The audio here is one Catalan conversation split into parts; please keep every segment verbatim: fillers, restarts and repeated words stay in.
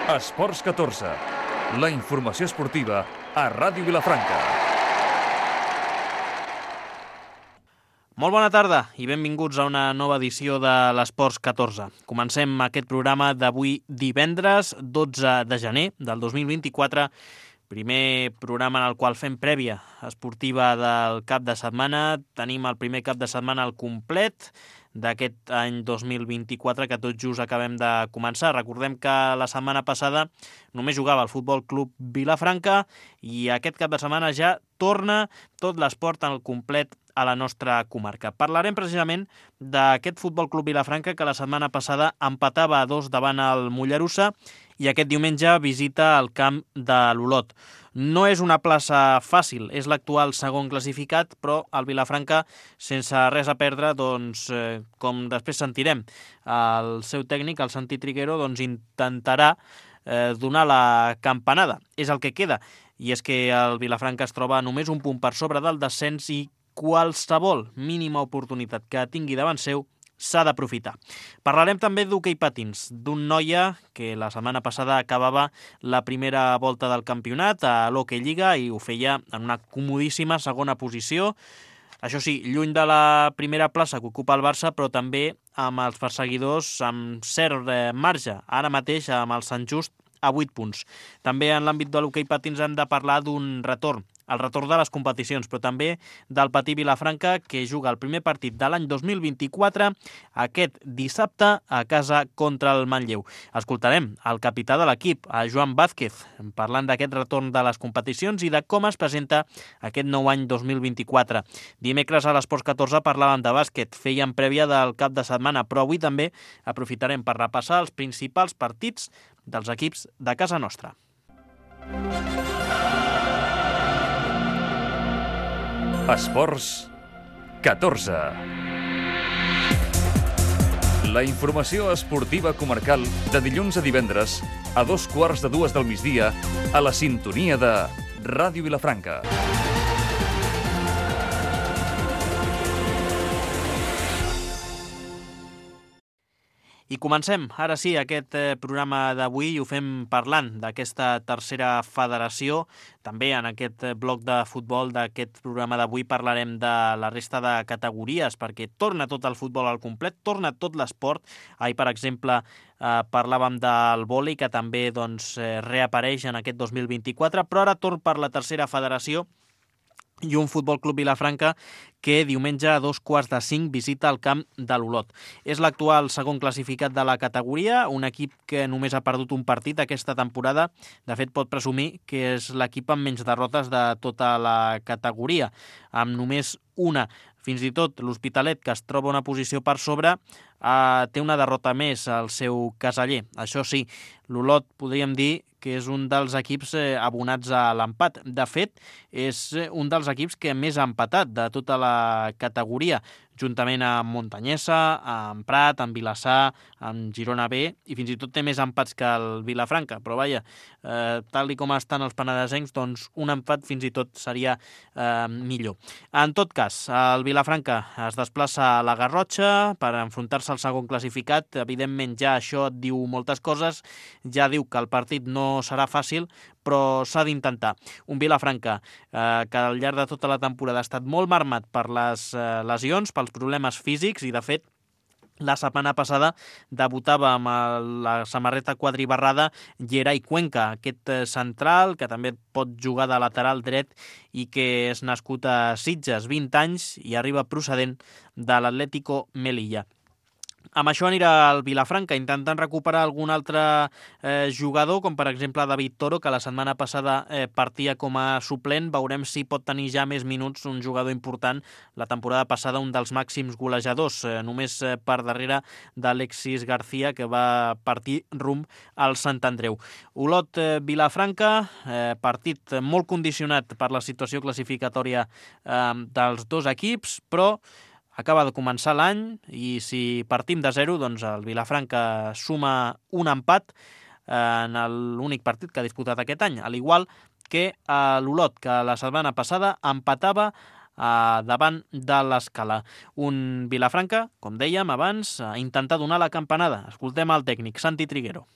Esports catorze, la informació esportiva a Ràdio Vilafranca. Molt bona tarda i benvinguts a una nova edició de l'Esports catorze. Comencem aquest programa d'avui divendres dotze de gener del dos mil vint-i-quatre, primer programa en el qual fem prèvia esportiva del cap de setmana. Tenim el primer cap de setmana al complet d'aquest any dos mil vint-i-quatre que tot just acabem de començar. Recordem que la setmana passada només jugava el Futbol Club Vilafranca i aquest cap de setmana ja torna tot l'esport al complet a la nostra comarca. Parlarem precisament d'aquest Futbol Club Vilafranca que la setmana passada empatava a dos davant el Mollerussa i aquest diumenge visita el camp de l'Olot. No és una plaça fàcil, és l'actual segon classificat, però el Vilafranca, sense res a perdre, doncs, eh, com després sentirem, el seu tècnic, el Santi Triguero, doncs, intentarà eh, donar la campanada. És el que queda, i és que el Vilafranca es troba només un punt per sobre del descens i qualsevol mínima oportunitat que tingui davant seu s'ha d'aprofitar. Parlarem també d'hoquei patins, d'un noia que la setmana passada acabava la primera volta del campionat a l'Hockey Lliga i ho feia en una comodíssima segona posició. Això sí, lluny de la primera plaça que ocupa el Barça, però també amb els perseguidors amb cert marge, ara mateix amb el Sant Just a vuit punts. També en l'àmbit de l'hoquei patins hem de parlar d'un retorn, el retorn de les competicions, però també del Patí Vilafranca, que juga el primer partit de l'any dos mil vint-i-quatre aquest dissabte a casa contra el Manlleu. Escoltarem el capità de l'equip, a Joan Vázquez, parlant d'aquest retorn de les competicions i de com es presenta aquest nou any dos mil vint-i-quatre. Dimecres a l'Esports catorze parlàvem de bàsquet, fèiem prèvia del cap de setmana, però avui també aprofitarem per repassar els principals partits dels equips de casa nostra. Esports catorze. La informació esportiva comarcal de dilluns a divendres a dos quarts de dues del migdia a la sintonia de Ràdio Vilafranca. I comencem, ara sí, aquest programa d'avui i ho fem parlant d'aquesta tercera federació. També en aquest bloc de futbol d'aquest programa d'avui parlarem de la resta de categories, perquè torna tot el futbol al complet, torna tot l'esport. Ahir, per exemple, eh, parlàvem del vòlei, que també doncs, reapareix en aquest dos mil vint-i-quatre, però ara torn per la tercera federació i un Futbol Club Vilafranca que diumenge a dos quarts de cinc visita el camp de l'Olot. És l'actual segon classificat de la categoria, un equip que només ha perdut un partit aquesta temporada. De fet, pot presumir que és l'equip amb menys derrotes de tota la categoria, amb només una. Fins i tot l'Hospitalet, que es troba una posició per sobre, eh, té una derrota més al seu caseller. Això sí, l'Olot podríem dir que és un dels equips eh, abonats a l'empat. De fet, és un dels equips que més ha empatat de tota la categoria, juntament amb Montanyesa, amb Prat, amb Vilassar, amb Girona B, i fins i tot té més empats que el Vilafranca. Però vaja, eh, tal i com estan els penedesencs, doncs un empat fins i tot seria eh, millor. En tot cas, el Vilafranca es desplaça a la Garrotxa per enfrontar-se al segon classificat. Evidentment ja això et diu moltes coses, ja diu que el partit no serà fàcil, però s'ha d'intentar. Un Vilafranca eh, que al llarg de tota la temporada ha estat molt marmat per les eh, lesions, pels problemes físics, i de fet la setmana passada debutava amb la samarreta quadribarrada Gerai Cuenca, aquest central que també pot jugar de lateral dret i que és nascut a Sitges, vint anys, i arriba procedent de l'Atlético Melilla. Amb això anirà el Vilafranca, intentant recuperar algun altre eh, jugador, com per exemple David Toro, que la setmana passada eh, partia com a suplent. Veurem si pot tenir ja més minuts, un jugador important. La temporada passada un dels màxims golejadors, eh, només eh, per darrere d'Alexis García, que va partir rumb al Sant Andreu. Olot eh, Vilafranca, eh, partit molt condicionat per la situació classificatòria eh, dels dos equips, però acaba de començar l'any i si partim de zero, doncs el Vilafranca suma un empat en l'únic partit que ha disputat aquest any, al igual que l'Olot, que la setmana passada empatava eh, davant de l'Escala. Un Vilafranca, com dèiem abans, a intentar donar la campanada. Escoltem el tècnic, Santi Triguero.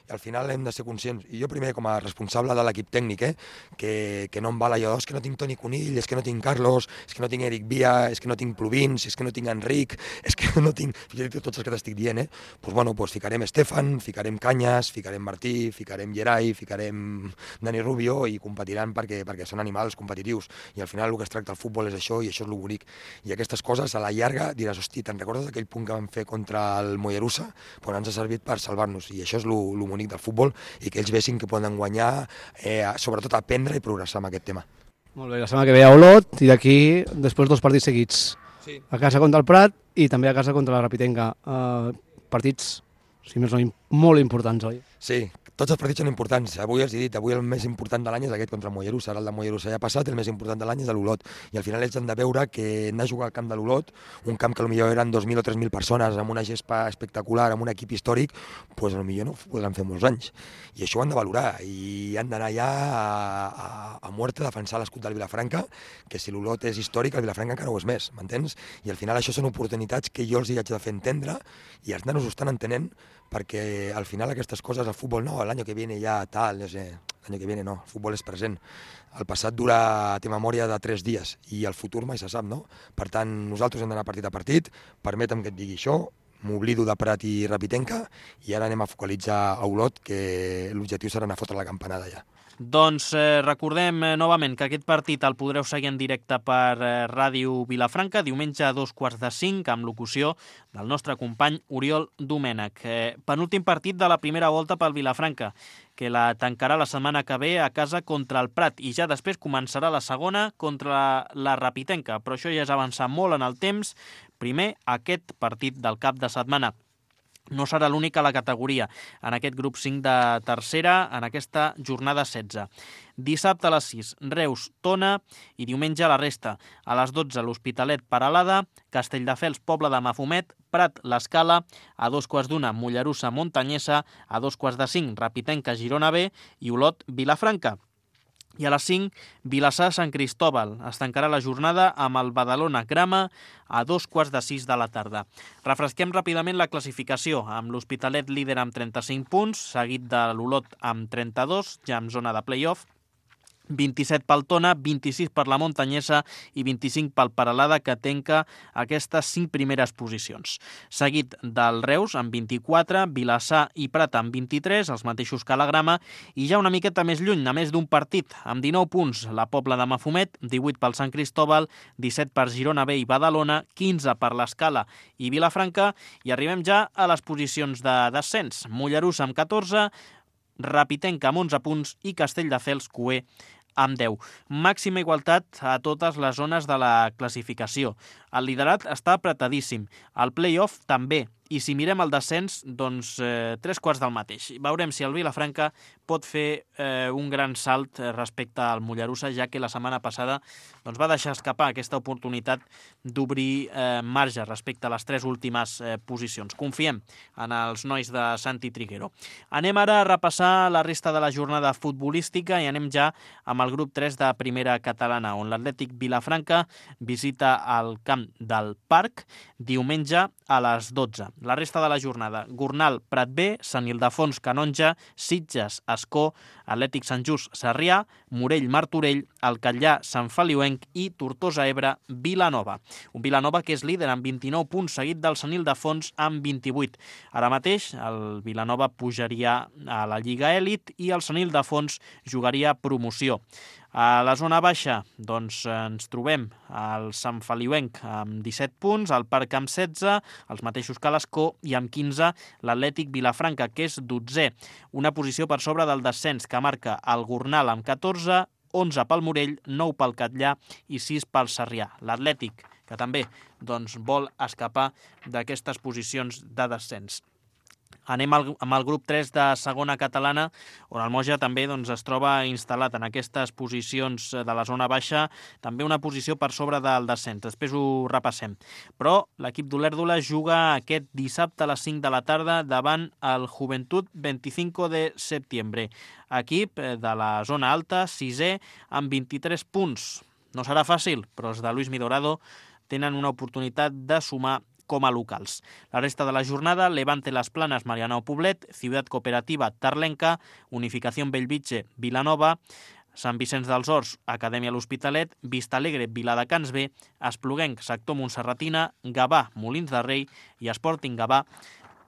i al final hem de ser conscients, i jo primer com a responsable de l'equip tècnic, eh, que, que no em val allò, és que no tinc Toni Conill, és que no tinc Carlos, és que no tinc Eric Via, és que no tinc Pluvins, és que no tinc Enric, és que no tinc... tots els que t'estic dient, eh? Pues, bueno, pues, ficarem Estefan, ficarem Canyes, ficarem Martí, ficarem Gerai, ficarem Dani Rubio i competiran perquè, perquè són animals competitius, i al final el que es tracta el futbol és això, i això és lo bonic. I aquestes coses a la llarga diràs, hosti, te'n recordes d'aquell punt que vam fer contra el Mollerussa? Pues ens ha servit per salvar-nos, i això és lo, lo bonic del futbol, i que ells vessin que poden guanyar, eh, sobretot aprendre i progressar amb aquest tema. Molt bé, la setmana que ve a Olot i d'aquí després dos partits seguits. Sí. A casa contra el Prat i també a casa contra la Rapitenca. Uh, partits, si més no, molt importants, oi? Sí, tots els partits són importants. Avui els he dit, avui el més important de l'any és aquest contra el Mollerussa. Ara el de Mollerussa ja ha passat, el més important de l'any és de l'Olot. I al final ells han de veure que anar a jugar al camp de l'Olot, un camp que potser eren dos mil o tres mil persones, amb una gespa espectacular, amb un equip històric, doncs potser no ho podran fer molts anys. I això ho han de valorar, i han d'anar ja a, a, a muerte a defensar l'escut del Vilafranca, que si l'Olot és històric, el Vilafranca encara ho és més, m'entens? I al final això són oportunitats que jo els hi haig de fer entendre, i els nanos ho estan entenent, perquè al final aquestes coses, el futbol no, l'any que viene ja tal, no sé, l'any que viene no, el futbol és present. El passat dura, té memòria de tres dies, i el futur mai se sap, no? Per tant, nosaltres hem d'anar partit a partit, permetem que et digui això, m'oblido de Prat i Rapitenca, i ara anem a focalitzar a Olot, que l'objectiu serà anar a fotre la campanada ja. Doncs eh, recordem eh, novament que aquest partit el podreu seguir en directe per eh, Ràdio Vilafranca, diumenge a dos quarts de cinc, amb locució del nostre company Oriol Domènech. Eh, penúltim partit de la primera volta pel Vilafranca, que la tancarà la setmana que ve a casa contra el Prat, i ja després començarà la segona contra la Rapitenca, però això ja és avançar molt en el temps. Primer, aquest partit del cap de setmana. No serà l'únic a la categoria, en aquest grup cinc de tercera, en aquesta jornada setze. Dissabte a les sis, Reus, Tona, i diumenge a la resta. A les dotze, l'Hospitalet, Peralada, Castelldefels, Pobla de Mafumet, Prat, l'Escala, a dos quarts d'una, Mollerussa, Montanyesa, a dos quarts de cinc, Rapitenca, Girona B, i Olot, Vilafranca. I a les cinc, Vilassar, Sant Cristòbal. Es tancarà la jornada amb el Badalona Grama a dos quarts de sis de la tarda. Refresquem ràpidament la classificació, amb l'Hospitalet líder amb trenta-cinc punts, seguit de l'Olot amb trenta-dos, ja en zona de play-off, vint-i-set pel Tona, vint-i-sis per la Montanyesa i vint-i-cinc pel Peralada, que tanca aquestes cinc primeres posicions. Seguit del Reus amb vint-i-quatre, Vilassar i Prat amb vint-i-tres, els mateixos que la Grama, i ja una miqueta més lluny, a més d'un partit, amb dinou punts, la Pobla de Mafumet, divuit pel Sant Cristòbal, disset per Girona B i Badalona, quinze per l'Escala i Vilafranca, i arribem ja a les posicions de descens. Mollerussa amb catorze, Rapitenca amb onze punts i Castelldefels, Cué, amb deu. Màxima igualtat a totes les zones de la classificació. El liderat està apretadíssim. El play-off també. I si mirem el descens, doncs eh, tres quarts del mateix. Veurem si el Vilafranca pot fer eh, un gran salt respecte al Mollerussa, ja que la setmana passada doncs, va deixar escapar aquesta oportunitat d'obrir eh, marge respecte a les tres últimes eh, posicions. Confiem en els nois de Santi Triguero. Anem ara a repassar la resta de la jornada futbolística i anem ja amb el grup tres de primera catalana, on l'Atlètic Vilafranca visita el camp del Parc diumenge a les dotze. La resta de la jornada: Gornal, Prat B, Sant Ildefons, Canonja, Sitges, Ascó, Atlètic Sant Just, Sarrià, Morell, Martorell, el Catllà, Sant Feliuenc i Tortosa Ebre, Vilanova. Un Vilanova que és líder amb vint-i-nou punts, seguit del Sant Ildefons amb vint-i-vuit. Ara mateix el Vilanova pujaria a la Lliga Èlit i el Sant Ildefons jugaria promoció. A la zona baixa doncs, ens trobem al Sant Feliuenc amb disset punts, el Parc amb setze, els mateixos que l'Escó, i amb quinze l'Atlètic Vilafranca, que és dotzè, una posició per sobre del descens que marca el Gornal amb catorze, onze pel Morell, nou pel Catllà i sis pel Sarrià. L'Atlètic, que també doncs, vol escapar d'aquestes posicions de descens. Anem al, amb el grup tres de segona catalana, on el Moja també doncs, es troba instal·lat en aquestes posicions de la zona baixa, també una posició per sobre del descens. Després ho repassem. Però l'equip d'Olèrdola juga aquest dissabte a les cinc de la tarda davant el Juventud vint-i-cinc de setembre. Equip de la zona alta, sisè, amb vint-i-tres punts. No serà fàcil, però els de Luis Midorado tenen una oportunitat de sumar com a locals. La resta de la jornada, Levante Las Planas, Marianao Poblet, Ciutat Cooperativa, Tarlenca, Unificación Bellvitge, Vilanova, Sant Vicenç dels Horts, Acadèmia L'Hospitalet, Vistalegre, Viladecans B, Espluguenc, Sector Montserratina, Gavà, Molins de Rei i Sporting Gavà,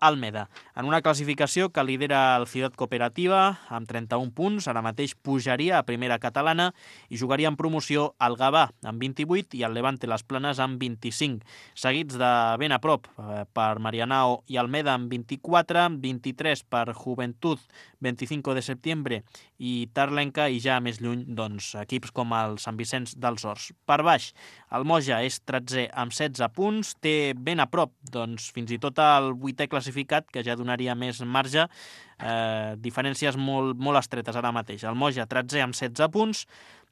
Almeda. En una classificació que lidera el Ciutat Cooperativa amb trenta-un punts, ara mateix pujaria a primera catalana i jugaria en promoció el Gavà amb vint-i-vuit i el Levante Las Planes amb vint-i-cinc, seguits de ben a prop per Marianao i Almeda amb vint-i-quatre, vint-i-tres per Juventud, vint-i-cinc de setembre i Tarlenca, i ja més lluny doncs, equips com el Sant Vicenç dels Horts. Per baix, el Moja és tretzè amb setze punts, té ben a prop doncs, fins i tot el vuitè classificat, que ja donaria més marge, eh, diferències molt, molt estretes ara mateix. El Moja tretzè amb setze punts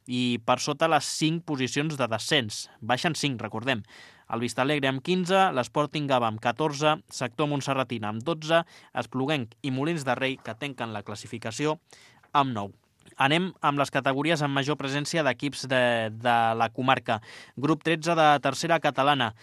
i per sota les cinc posicions de descens. Baixen cinc, recordem. El Vistalegre amb quinze, l'Sporting Gavà amb catorze, Sector Montserratina amb dotze, Espluguenc i Molins de Rei, que tanquen la classificació amb nou. Anem amb les categories amb major presència d'equips de, de la comarca. Grup tretze de tercera catalana.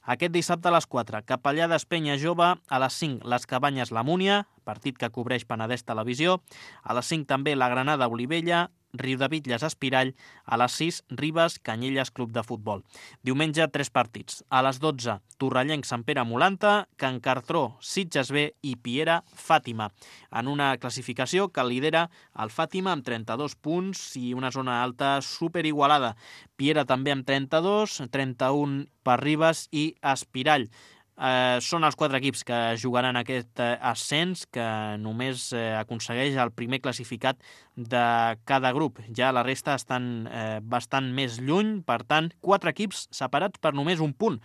Aquest dissabte a les quatre, Capellades Penya Jove, a les cinc, Les Cabanyes La Múnia, partit que cobreix Penedès Televisió, a les cinc també la Granada Olivella, Riudebitlles Espirall, a les sis, Ribes Canyelles Club de Futbol. Diumenge, tres partits. A les dotze, Torrellenc Sant Pere Molanta, Can Cartró Sitges B i Piera Fàtima. En una classificació que lidera el Fàtima amb trenta-dos punts i una zona alta superigualada. Piera també amb trenta-dos, trenta-un per Ribes i Espirall. Eh, són els quatre equips que jugaran aquest eh, ascens, que només eh, aconsegueix el primer classificat de cada grup. Ja la resta estan eh, bastant més lluny, per tant, quatre equips separats per només un punt.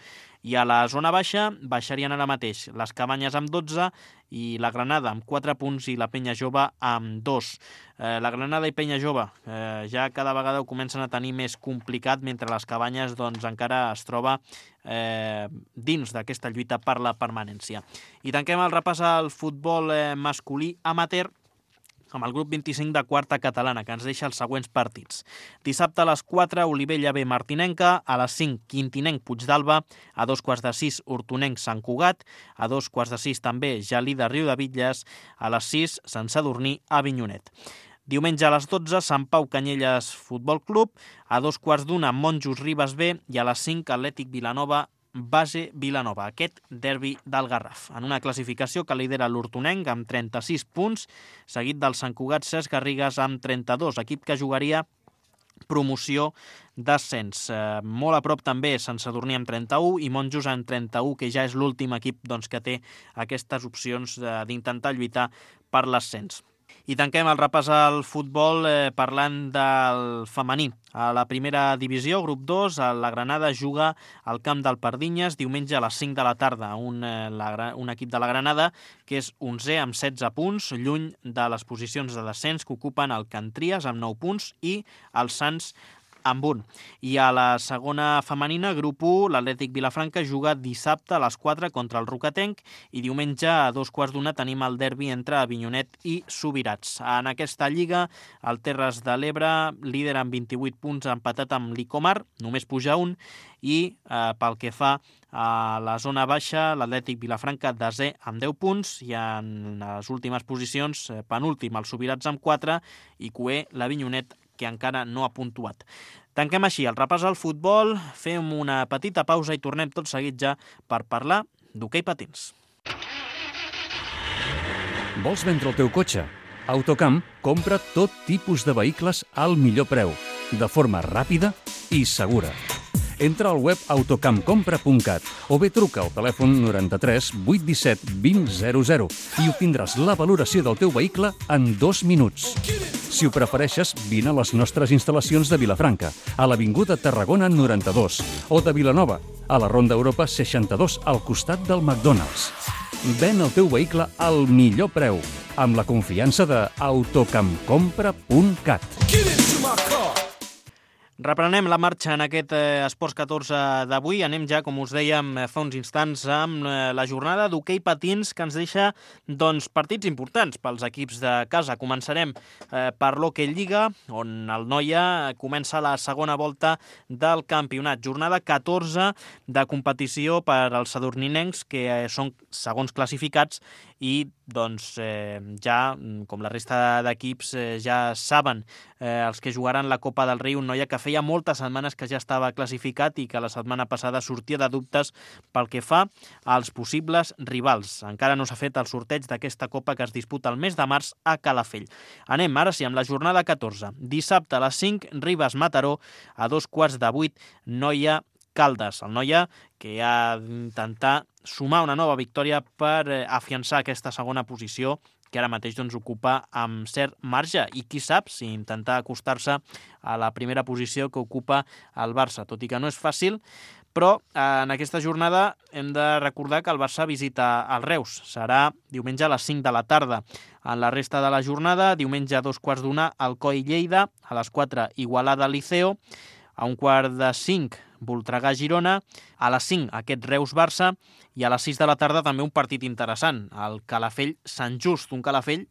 I a la zona baixa baixarien ara mateix les Cabanyes amb dotze i la Granada amb quatre punts i la Penya Jove amb dos. Eh, la Granada i Penya Jove eh, ja cada vegada ho comencen a tenir més complicat, mentre les Cabanyes doncs, encara es troba eh, dins d'aquesta lluita per la permanència. I tanquem el repàs al futbol eh, masculí amateur amb el grup vint-i-cinc de quarta catalana, que ens deixa els següents partits. Dissabte a les quatre, Olivella B Martinenca, a les cinc, Quintinenc Puigdalba, a dos quarts de sis, Hortonenc Sant Cugat, a dos quarts de sis també, Gelida Riudebitlles, a les sis, Sant Sadurní Avinyonet. Diumenge a les dotze, Sant Pau Canyelles Futbol Club, a dos quarts d'una, Monjos Ribes B i a les cinc, Atlètic Vilanova Base Vilanova, aquest derbi del Garraf. En una classificació que lidera l'Hortonenc amb trenta-sis punts, seguit del Sant Cugat Cesc Garrigues amb trenta-dos, equip que jugaria promoció d'ascens. Eh, molt a prop també Sant Sadurní amb trenta-u i Monjos amb trenta-u, que ja és l'últim equip doncs, que té aquestes opcions d'intentar lluitar per l'ascens. I tanquem el repàs al futbol eh, parlant del femení. A la primera divisió, grup dos, la Granada juga al camp del Pardinyes diumenge a les cinc de la tarda. Un, eh, la, un equip de la Granada que és onzè amb setze punts, lluny de les posicions de descens que ocupen el Can Tries amb nou punts i el Sants amb un. I a la segona femenina, grup u, l'Atlètic Vilafranca juga dissabte a les quatre contra el Rocatenc i diumenge a dos quarts d'una tenim el derbi entre Avinyonet i Subirats. En aquesta lliga, el Terres de l'Ebre líder amb vint-i-vuit punts, empatat amb l'Icomar, només puja un, i eh, pel que fa a la zona baixa, l'Atlètic Vilafranca desè amb deu punts i en les últimes posicions, eh, penúltim el Subirats amb quatre i cuer l'Avinyonet, que encara no ha puntuat. Tanquem així el repàs al futbol, fem una petita pausa i tornem tot seguit ja per parlar d'hoquei patins. Vols vendre el teu cotxe? Autocamp compra tot tipus de vehicles al millor preu, de forma ràpida i segura. Entra al web autocamp compra punt cat o bé truca al telèfon noranta-tres vuit disset vint zero zero i obtindràs la valoració del teu vehicle en dos minuts. Si ho prefereixes, vine a les nostres instal·lacions de Vilafranca, a l'Avinguda Tarragona noranta-dos, o de Vilanova, a la Ronda Europa seixanta-dos, al costat del McDonald's. Ven el teu vehicle al millor preu, amb la confiança de autocamp compra punt cat. Reprenem la marxa en aquest eh, Esports catorze d'avui. Anem ja, com us dèiem eh, fa uns instants, amb eh, la jornada d'hoquei patins que ens deixa doncs, partits importants pels equips de casa. Començarem eh, per l'Hockey Lliga, on el Noia comença la segona volta del campionat. Jornada catorze de competició per als sadurninencs, que eh, són segons classificats i doncs, eh, ja, com la resta d'equips, eh, ja saben eh, els que jugaran la Copa del Rei, un Noia que feia moltes setmanes que ja estava classificat i que la setmana passada sortia de dubtes pel que fa als possibles rivals. Encara no s'ha fet el sorteig d'aquesta Copa que es disputa el mes de març a Calafell. Anem ara sí amb la jornada catorze. Dissabte a les cinc, Ribes-Mataró, a dos quarts de vuit, Noia Caldes. El Noia que ha d'intentar sumar una nova victòria per eh, afiançar aquesta segona posició que ara mateix doncs, ocupa amb cert marge i qui sap si intentar acostar-se a la primera posició que ocupa el Barça, tot i que no és fàcil, però eh, en aquesta jornada hem de recordar que el Barça visita el Reus. Serà diumenge a les cinc de la tarda. En la resta de la jornada, diumenge a dos quarts d'una, Alcoi Lleida, a les quatre, Igualada Liceo, a un quart de cinc, Voltregà-Girona, a les cinc aquest Reus-Barça i a les sis de la tarda també un partit interessant, el Calafell-Sant Just, un Calafell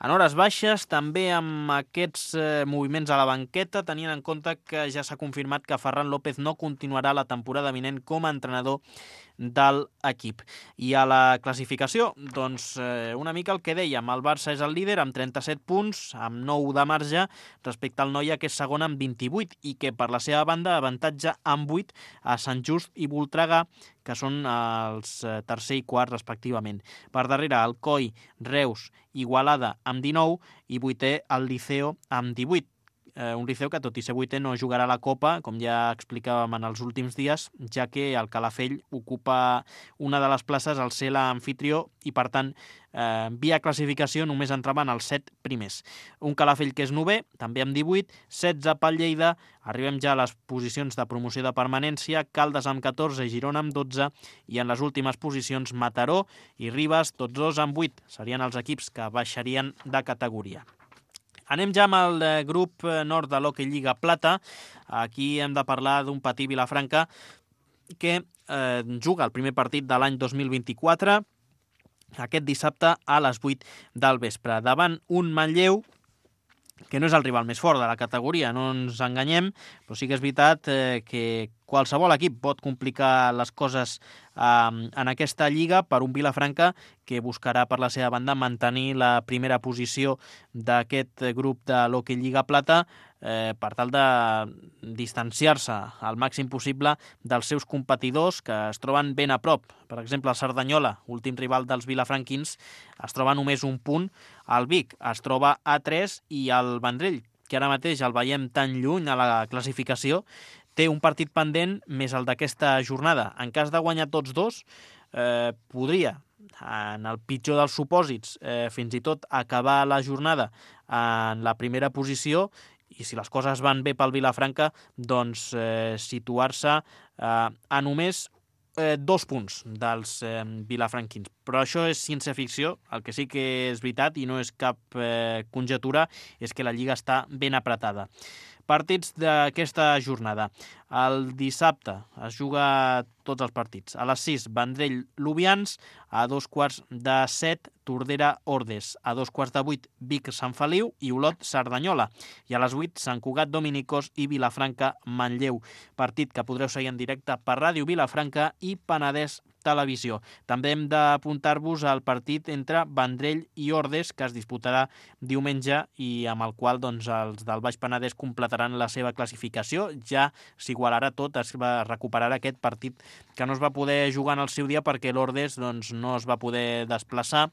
en hores baixes, també amb aquests eh, moviments a la banqueta, tenint en compte que ja s'ha confirmat que Ferran López no continuarà la temporada vinent com a entrenador del equip. I a la classificació, doncs eh, una mica el que dèiem, el Barça és el líder amb trenta-set punts, amb nou de marge, respecte al Noia que és segon amb vint-i-vuit i que per la seva banda avantatja amb vuit a Sant Just i Voltregà, que són els tercer i quart respectivament. Per darrere, Alcoi, Reus, Igualada amb dinou i vuitè el Liceo amb divuit. Eh, un Liceu que, tot i ser vuitè, no jugarà la Copa, com ja explicàvem en els últims dies, ja que el Calafell ocupa una de les places al ser l'amfitrió i, per tant, eh, via classificació només entraven els set primers. Un Calafell que és novè, també amb divuit, setze pel Lleida, arribem ja a les posicions de promoció de permanència, Caldes amb catorze, Girona amb dotze, i en les últimes posicions Mataró i Ribes, tots dos amb vuit. Serien els equips que baixarien de categoria. Anem ja amb el grup nord de l'Hockey Lliga Plata. Aquí hem de parlar d'un Patí Vilafranca que eh, juga el primer partit de l'any dos mil vint-i-quatre aquest dissabte a les vuit del vespre, davant un Manlleu que no és el rival més fort de la categoria, no ens enganyem, però sí que és veritat eh, que qualsevol equip pot complicar les coses eh, en aquesta lliga per un Vilafranca que buscarà per la seva banda mantenir la primera posició d'aquest grup de l'Hockey Lliga Plata eh, per tal de distanciar-se al màxim possible dels seus competidors que es troben ben a prop. Per exemple, el Cerdanyola, últim rival dels vilafranquins, es troba només un punt. El Vic es troba a tres i el Vendrell, que ara mateix el veiem tan lluny a la classificació, té un partit pendent més el d'aquesta jornada. En cas de guanyar tots dos, eh, podria, en el pitjor dels supòsits, eh, fins i tot acabar la jornada en la primera posició i si les coses van bé pel Vilafranca, doncs eh, situar-se eh, a només eh, dos punts dels eh, vilafranquins. Però això és ciència-ficció, el que sí que és veritat i no és cap eh, conjetura és que la Lliga està ben apretada. Partits d'aquesta jornada. El dissabte es juga tots els partits. A les sis, Vendrell-Lubians, a dos quarts de set, Tordera-Ordes, a dos quarts de vuit, Vic-Sant Feliu i Olot-Cerdanyola, i a les vuit, Sant Cugat-Dominicos i Vilafranca-Manlleu. Partit que podreu seguir en directe per Ràdio Vilafranca i Penedès Televisió. També hem d'apuntar-vos al partit entre Vendrell i Ordes, que es disputarà diumenge i amb el qual doncs, els del Baix Penedès completaran la seva classificació. Ja s'igualarà tot, es va recuperar aquest partit que no es va poder jugar en el seu dia perquè l'Ordes doncs, no es va poder desplaçar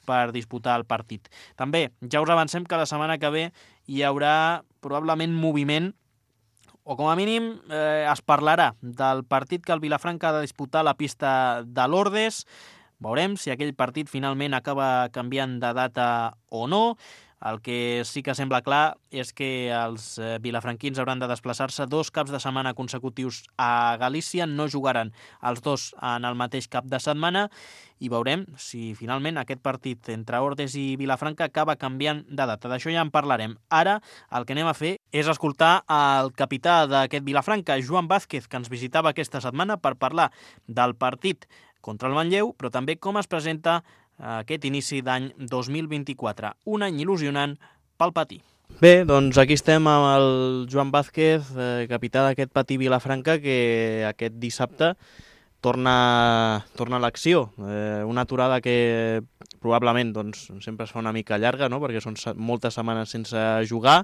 per disputar el partit. També ja us avancem que la setmana que ve hi haurà probablement moviment o com a mínim eh, es parlarà del partit que el Vilafranca ha de disputar a la pista de l'Ordes. Veurem si aquell partit finalment acaba canviant de data o no. El que sí que sembla clar és que els vilafranquins hauran de desplaçar-se dos caps de setmana consecutius a Galícia, no jugaran els dos en el mateix cap de setmana i veurem si finalment aquest partit entre Ordes i Vilafranca acaba canviant de data. D'això ja en parlarem. Ara el que anem a fer és escoltar el capità d'aquest Vilafranca, Joan Vázquez, que ens visitava aquesta setmana per parlar del partit contra el Manlleu, però també com es presenta aquest inici d'any dos mil vint-i-quatre. Un any il·lusionant pel Patí. Bé, doncs aquí estem amb el Joan Vázquez, eh, capità d'aquest Patí Vilafranca, que aquest dissabte torna, torna a l'acció. Eh, una aturada que probablement doncs, sempre es fa una mica llarga, no? Perquè són moltes setmanes sense jugar,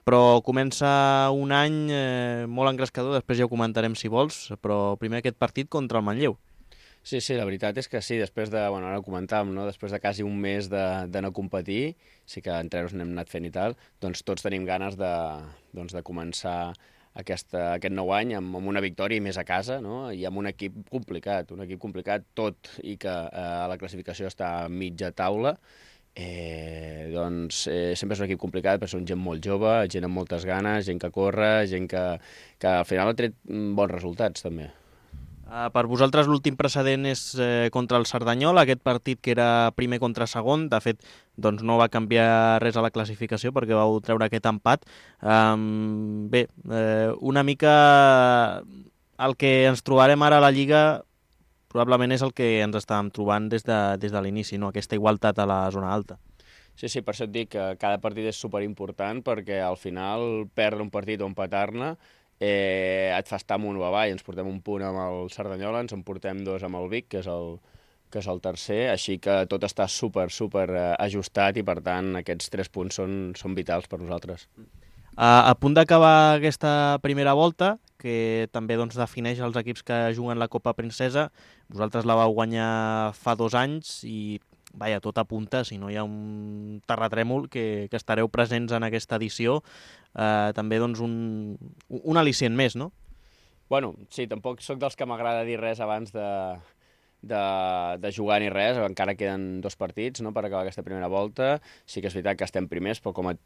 però comença un any eh, molt engrescador, després ja ho comentarem si vols, però primer aquest partit contra el Manlleu. Sí, sí, la veritat és que sí, després de, bueno, ara ho comentàvem, no? Després de quasi un mes de, de no competir, sí que entrenos n'hem anat fent i tal, doncs tots tenim ganes de, doncs, de començar aquesta, aquest nou any amb, amb una victòria i més a casa, no? I amb un equip complicat, un equip complicat tot i que eh, la classificació està a mitja taula, eh, doncs eh, sempre és un equip complicat perquè són gent molt jove, gent amb moltes ganes, gent que corre, gent que, que al final ha tret bons resultats també. Uh, per vosaltres l'últim precedent és eh, contra el Cerdanyola, aquest partit que era primer contra segon, de fet doncs no va canviar res a la classificació perquè vau treure aquest empat. Um, bé, eh, una mica el que ens trobarem ara a la Lliga probablement és el que ens estàvem trobant des de, des de l'inici, no? Aquesta igualtat a la zona alta. Sí, sí, per això et dic que cada partit és superimportant perquè al final perdre un partit o empatar-ne Eh, et fa estar amunt o avall. Ens portem un punt amb el Cerdanyola, ens en portem dos amb el Vic, que és el, que és el tercer, així que tot està super, super eh, ajustat i per tant aquests tres punts són, són vitals per nosaltres. A, a punt d'acabar aquesta primera volta, que també doncs, defineix els equips que juguen la Copa Princesa, vosaltres la vau guanyar fa dos anys i vaja, tot apunta, si no hi ha un terratrèmol, que, que estareu presents en aquesta edició, eh, també doncs, un, un al·licient més, no? Bueno, sí, tampoc sóc dels que m'agrada dir res abans de, de, de jugar ni res, encara queden dos partits, no?, per acabar aquesta primera volta. Sí que és veritat que estem primers, però com, et,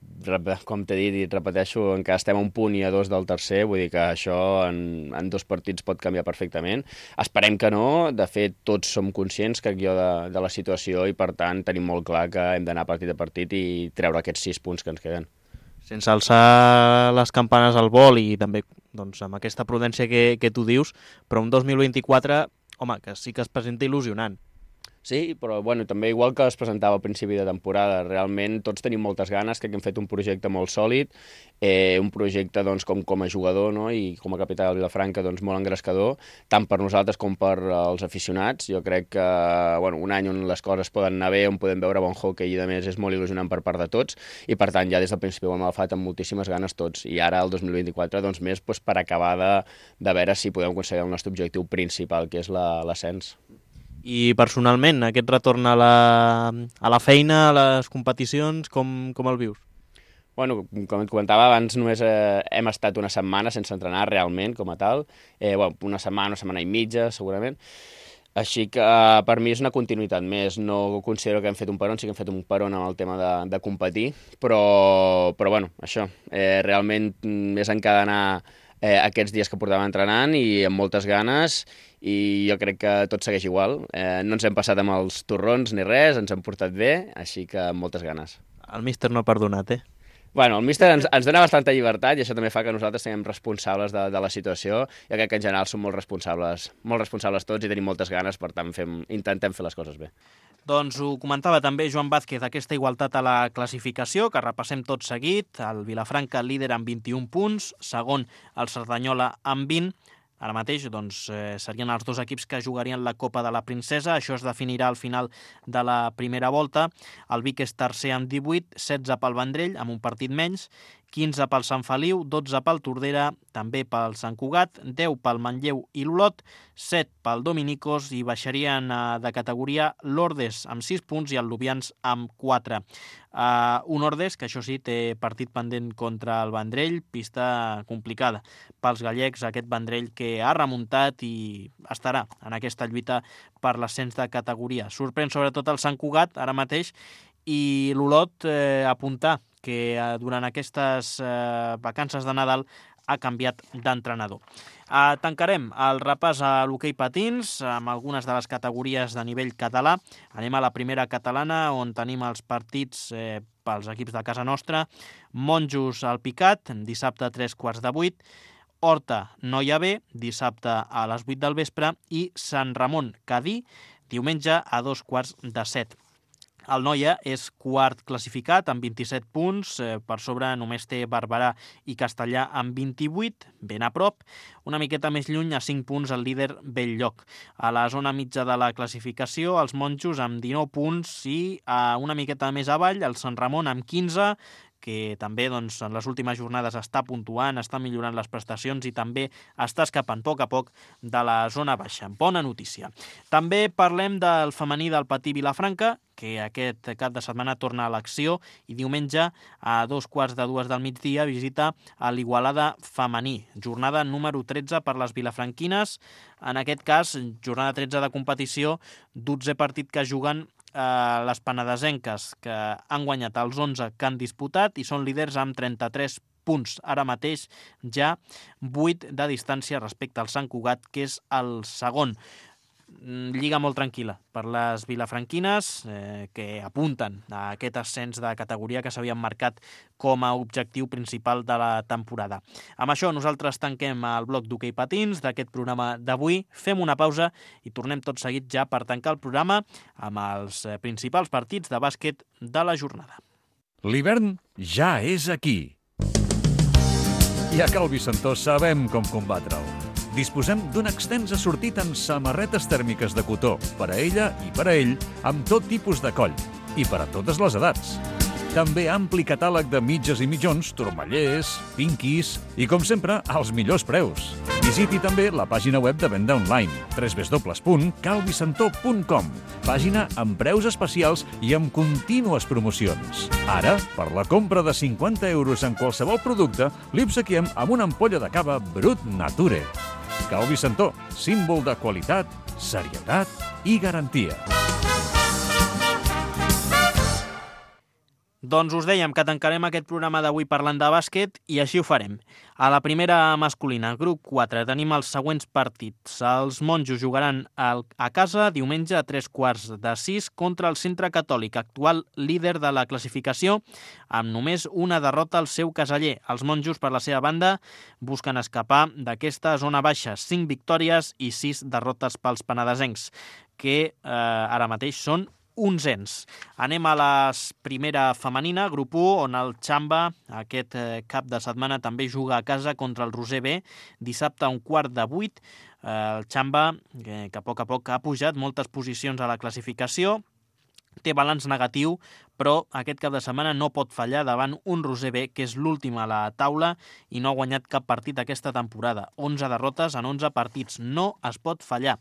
com t'he dit i et repeteixo, encara estem a un punt i a dos del tercer, vull dir que això en, en dos partits pot canviar perfectament. Esperem que no, de fet tots som conscients que jo de, de la situació i per tant tenim molt clar que hem d'anar partit a partit i treure aquests sis punts que ens queden. Sense alçar les campanes al vol i també doncs, amb aquesta prudència que, que tu dius, però un dos mil vint-i-quatre, home, que sí que es presenta il·lusionant. Sí, però bueno, també igual que es presentava al principi de temporada, realment tots tenim moltes ganes, crec que hem fet un projecte molt sòlid, eh, un projecte doncs, com, com a jugador, no?, i com a capità del Vilafranca doncs, molt engrescador, tant per nosaltres com per als aficionats. Jo crec que bueno, un any on les coses poden anar bé, on podem veure bon hockey i a més és molt il·lusionant per part de tots, i per tant ja des del principi ho hem agafat amb moltíssimes ganes tots, i ara el dos mil vint-i-quatre doncs, més doncs, per acabar de, de veure si podem aconseguir el nostre objectiu principal, que és l'ascens. I personalment, aquest retorn a la, a la feina, a les competicions, com, com el vius? Bueno, com et comentava abans, només eh, hem estat una setmana sense entrenar realment com a tal, eh, bueno, una setmana, una setmana i mitja segurament, així que eh, per mi és una continuïtat més. No considero que hem fet un peron, sí que hem fet un peron amb el tema de, de competir, però, però bueno, això, eh, realment és encadenar eh, aquests dies que portàvem entrenant i amb moltes ganes, i jo crec que tot segueix igual. Eh, no ens hem passat amb els torrons ni res, ens hem portat bé, així que amb moltes ganes. El míster no ha perdonat, eh? Bueno, el míster ens, ens dona bastanta llibertat i això també fa que nosaltres siguem responsables de, de la situació. Jo crec que en general som molt responsables, molt responsables tots i tenim moltes ganes, per tant fem, intentem fer les coses bé. Doncs ho comentava també Joan Vázquez, aquesta igualtat a la classificació, que repassem tot seguit. El Vilafranca líder amb vint-i-un punts, segon el Cerdanyola amb vint. Ara mateix doncs, eh, serien els dos equips que jugarien la Copa de la Princesa. Això es definirà al final de la primera volta. El Vic és tercer amb divuit, setze pel Vendrell, amb un partit menys, quinze pel Sant Feliu, dotze pel Tordera, també pel Sant Cugat, deu pel Manlleu i l'Olot, set pel Dominicos i baixarien uh, de categoria l'Ordes amb sis punts i el Lubians amb quatre. Uh, un Ordes que això sí té partit pendent contra el Vendrell, pista complicada pels gallecs, aquest Vendrell que ha remuntat i estarà en aquesta lluita per l'ascens de categoria. Sorprèn sobretot el Sant Cugat ara mateix I l'Olot eh, apuntar que eh, durant aquestes eh, vacances de Nadal ha canviat d'entrenador. Eh, tancarem el repàs a l'hoquei patins amb algunes de les categories de nivell català. Anem a la primera catalana, on tenim els partits eh, pels equips de casa nostra. Monjos al Picat, dissabte a tres quarts de vuit. Horta Noia B, dissabte a les vuit del vespre. I Sant Ramon Cadí, diumenge a dos quarts de set. El Noia és quart classificat amb vint-i-set punts, eh, per sobre només té Barberà i Castellà amb vint-i-vuit, ben a prop. Una miqueta més lluny, a cinc punts, el líder Belllloc. A la zona mitja de la classificació, els Monjos amb dinou punts i a una miqueta més avall, el Sant Ramon amb quinze, que també doncs, en les últimes jornades està puntuant, està millorant les prestacions i també està escapant a poc a poc de la zona baixa. Bona notícia. També parlem del femení del Patí Vilafranca, que aquest cap de setmana torna a l'acció i diumenge a dos quarts de dues del migdia visita a l'Igualada femení. Jornada número tretze per les vilafranquines. En aquest cas, jornada tretze de competició, dotze partit que juguen eh, les penedesenques, que han guanyat els onze que han disputat i són líders amb trenta-tres punts. Ara mateix ja vuit de distància respecte al Sant Cugat, que és el segon. Lliga molt tranquil·la per les vilafranquines, eh, que apunten a aquest ascens de categoria que s'havien marcat com a objectiu principal de la temporada. Amb això nosaltres tanquem el bloc d'hoquei patins d'aquest programa d'avui, fem una pausa i tornem tot seguit ja per tancar el programa amb els principals partits de bàsquet de la jornada. L'hivern ja és aquí. I a Cal Vicentó sabem com combatre'l. Disposem d'un extens assortit en samarretes tèrmiques de cotó, per a ella i per a ell, amb tot tipus de coll, i per a totes les edats. També ampli catàleg de mitges i mitjons, turmallers, pinquis i, com sempre, als millors preus. Visiti també la pàgina web de venda online, w w w punt cal vicentó punt com, pàgina amb preus especials i amb contínues promocions. Ara, per la compra de cinquanta euros en qualsevol producte, li obsequiem amb una ampolla de cava Brut Nature. Cal Vicentó, símbol de qualitat, serietat i garantia. Doncs us dèiem que tancarem aquest programa d'avui parlant de bàsquet i així ho farem. A la primera masculina, grup quatre, tenim els següents partits. Els Monjos jugaran a casa diumenge a tres quarts de sis contra el Centre Catòlic, actual líder de la classificació, amb només una derrota al seu caseller. Els Monjos, per la seva banda, busquen escapar d'aquesta zona baixa, cinc victòries i sis derrotes pels penedesencs, que eh, ara mateix són onzens. Anem a la primera femenina, grup u, on el Xamba aquest eh, cap de setmana també juga a casa contra el Roser B, dissabte a un quart de vuit. Eh, el Xamba, que, que a poc a poc ha pujat moltes posicions a la classificació, té balanç negatiu, però aquest cap de setmana no pot fallar davant un Roser B, que és l'últim a la taula i no ha guanyat cap partit aquesta temporada. onze derrotes en onze partits. No es pot fallar.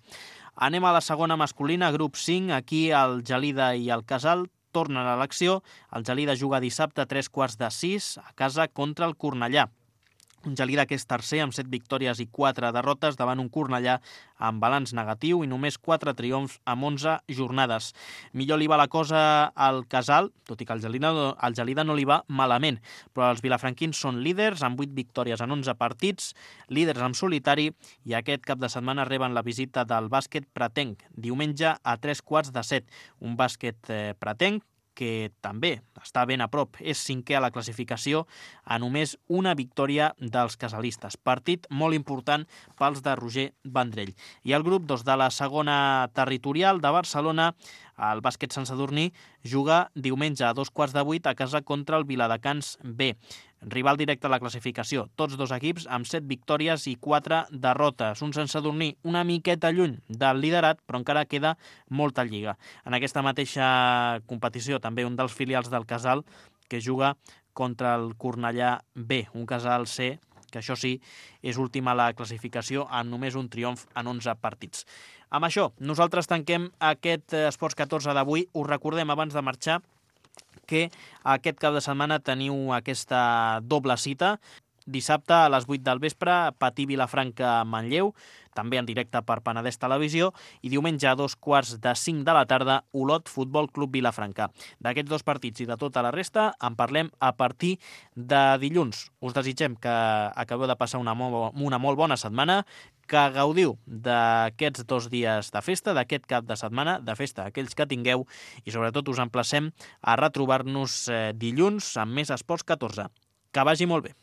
Anem a la segona masculina, grup cinc. Aquí el Gelida i el Casal tornen a l'acció. El Gelida juga dissabte a tres quarts de sis a casa contra el Cornellà. Un Gelida que és tercer amb set victòries i quatre derrotes davant un Cornellà amb balanç negatiu i només quatre triomfs amb onze jornades. Millor li va la cosa al Casal, tot i que al Gelida, al Gelida no li va malament, però els vilafranquins són líders amb vuit victòries en onze partits, líders en solitari, i aquest cap de setmana reben la visita del bàsquet Pratenc, diumenge a tres quarts de set. Un bàsquet eh, Pratenc que també està ben a prop, és cinquè a la classificació a només una victòria dels casalistes. Partit molt important pels de Roger Vendrell. I el grup dos de la segona territorial de Barcelona, el bàsquet Sant Sadurní, juga diumenge a dos quarts de vuit a casa contra el Viladecans B. Rival directe a la classificació, tots dos equips amb set victòries i quatre derrotes. Un Sant Sadurní una miqueta lluny del liderat, però encara queda molta lliga. En aquesta mateixa competició també un dels filials del Casal que juga contra el Cornellà B, un Casal C que això sí és últim a la classificació amb només un triomf en onze partits. Amb això, nosaltres tanquem aquest Esports catorze d'avui. Us recordem abans de marxar que aquest cap de setmana teniu aquesta doble cita. dissabte a les vuit del vespre, Patí Vilafranca Manlleu, també en directe per Penedès Televisió, i diumenge a dos quarts de cinc de la tarda, Olot Futbol Club Vilafranca. D'aquests dos partits i de tota la resta en parlem a partir de dilluns. Us desitgem que acabeu de passar una, mo una molt bona setmana, que gaudiu d'aquests dos dies de festa, d'aquest cap de setmana, de festa aquells que tingueu, i sobretot us emplacem a retrobar-nos dilluns amb més Esports catorze. Que vagi molt bé.